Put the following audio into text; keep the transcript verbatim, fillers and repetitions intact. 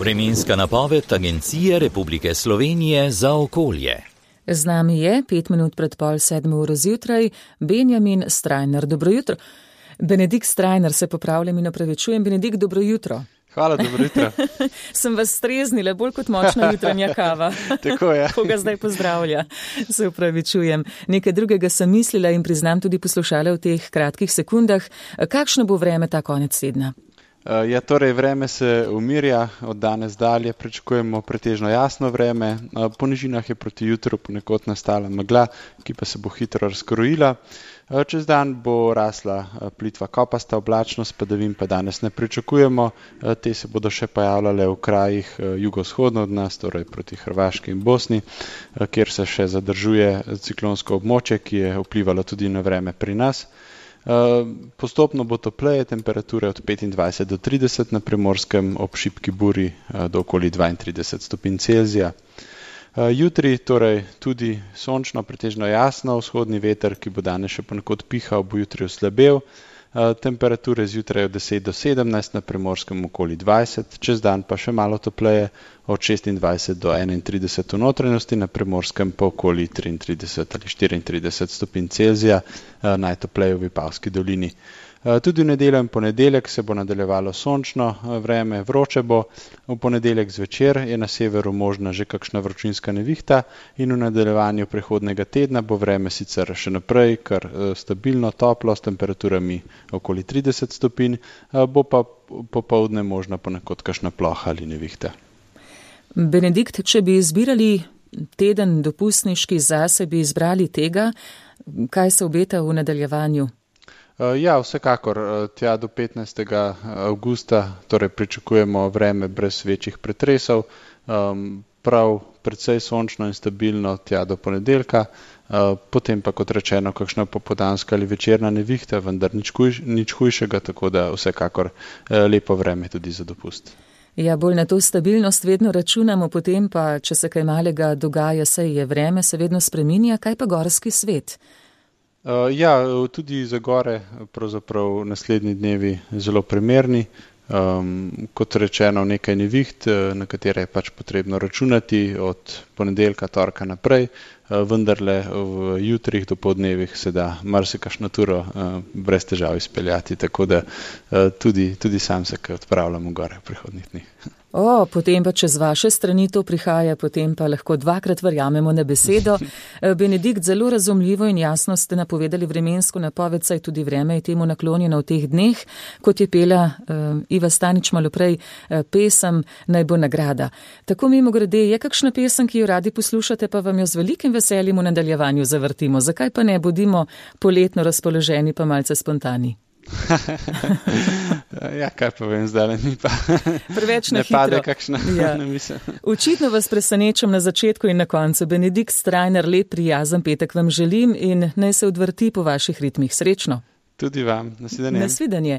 Vremenska napoved Agencije Republike Slovenije za okolje. Z nami je pet minut pred pol sedmo uro zjutraj Benjamin Strajnar. Dobro jutro. Benedikt Strajnar, se popravljam in opravičujem. Benedikt, dobro jutro. Hvala, dobro jutro. Sem vas streznila, bolj kot močna jutranja kava. Tako je. Koga zdaj pozdravlja, se upravičujem. Nekaj drugega sem mislila in priznam tudi poslušala v teh kratkih sekundah. Kakšno bo vreme ta konec tedna? Ja, torej vreme se umirja, od danes dalje pričakujemo pretežno jasno vreme. Po nižinah je proti jutru ponekod nastala megla, ki pa se bo hitro razkrojila. Čez dan bo rasla plitva kopasta oblačnost, padavin pa danes ne pričakujemo. Te se bodo še pojavljale v krajih jugovzhodno od nas, torej proti Hrvaški in Bosni, kjer se še zadržuje ciklonsko območje, ki je vplivalo tudi na vreme pri nas. Postopno bo topleje, temperature od petindvajset do trideset, na Primorskem ob šibki buri do okoli dvaintrideset stopinj Celzija. Jutri torej tudi sončno, pretežno jasno, vzhodni veter, ki bo danes še ponekod pihal, bo jutri oslabel. Temperature zjutraj od deset do sedemnajst, na Primorskem okoli dvajset, čez dan pa še malo topleje, od šestindvajset do enaintrideset v notranjosti, na Primorskem pa okoli triintrideset ali štiriintrideset stopinj Celzija, najtopleje v Vipavski dolini. Tudi v nedeljo in ponedeljek se bo nadaljevalo sončno vreme, vroče bo. V ponedeljek zvečer je na severu možna že kakšna vročinska nevihta in v nadaljevanju prihodnega tedna bo vreme sicer še naprej kar stabilno, toplo, s temperaturami okoli trideset stopinj, bo pa popoldne možna ponekod kakšna ploha ali nevihta. Benedikt, če bi izbirali teden dopustniški zase, bi izbrali tega, kaj se obeta v nadaljevanju? Ja, vsekakor, tja do petnajstega avgusta torej pričakujemo vreme brez večjih pretresov, prav precej sončno in stabilno tja do ponedeljka, potem pa kot rečeno kakšna popoldanska ali večerna nevihta, vendar nič, huj, nič hujšega, tako da vsekakor lepo vreme tudi za dopust. Ja, bolj na to stabilnost vedno računamo, potem pa, če se kaj malega dogaja, saj je vreme, se vedno spreminja, kaj pa gorski svet? Uh, ja, tudi za gore pravzaprav naslednji dnevi zelo primerni. Um, kot rečeno, nekaj neviht, na katere je pač potrebno računati od ponedeljka, torka naprej, uh, vendarle v jutrih do podnevih se da marsikakšno turo uh, brez težav izpeljati, tako da uh, tudi, tudi sam se kaj odpravljam v gore v prihodnjih dneh. O, potem pa če z vaše strani to prihaja, potem pa lahko dvakrat verjamemo na besedo. Benedikt, zelo razumljivo in jasno ste napovedali vremensko napoved, saj tudi vreme je temu naklonjeno v teh dneh, kot je pela uh, Iva Stanič malo prej uh, pesem Naj bo nagrada. Tako mimogrede, je kakšna pesem, ki jo radi poslušate, pa vam jo z velikim veseljem v nadaljevanju zavrtimo. Zakaj pa ne, bodimo poletno razpoloženi pa malce spontani? Ja, kaj pa vem, zdaj mi pa preveč na ne hitro. Pade kakšna ja. misel. Očitno vas presenečam na začetku in na koncu. Benedikt Strajnar, lep prijazen petek vam želim in naj se odvrti po vaših ritmih. Srečno. Tudi vam. Nasvidenje. Nasvidenje.